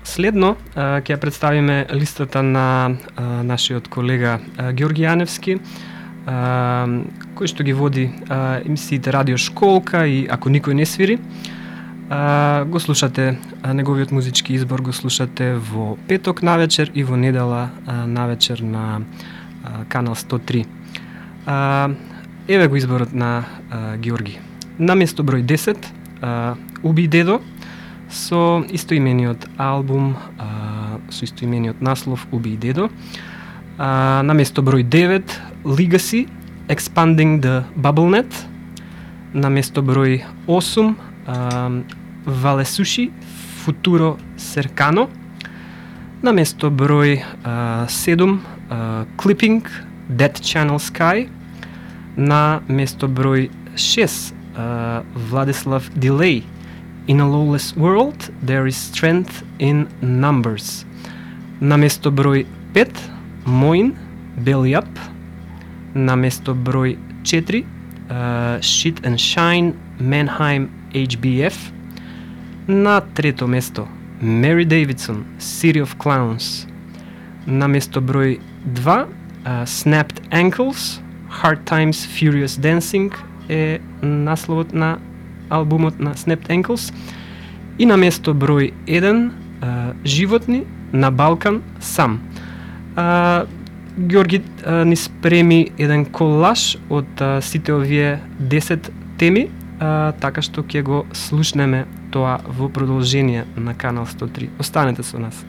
Следно ќе ја представиме листата на нашиот колега Ѓорги Јаневски, кој што ги води емисиите Радио Школка и Ако никој не свири. Го слушате неговиот музички избор, го слушате во петок навечер и во недела навечер на канал 103. Еве го изборот на Ѓорги. На место број 10, Уби дедо, со истоимениот албум, со истоимениот наслов Уби дедо. На место број 9, Legacy, Expanding the BubbleNet. На место број 8, Валесуши, Futuro Cercano. На место број 7, Clipping, Dead Channel Sky. На место број 6, Владислав Дилей, In a Lawless World, There is Strength in Numbers. На место број 5, Moin, Belly Up. На место број 4, Shit and Shine, Mannheim, HBF. На трето место, Mary Davidson, City of Clowns. На место број 2, Snapped Ankles, Hard Times, Furious Dancing е насловот на албумот на Snapped Ankles. И на место број 1, Животни, На Балкан, Сам. Ѓорги ни спреми еден колаж од сите овие 10 теми, така што ќе го слушнеме тоа во продолжение на канал 103. Останете со нас.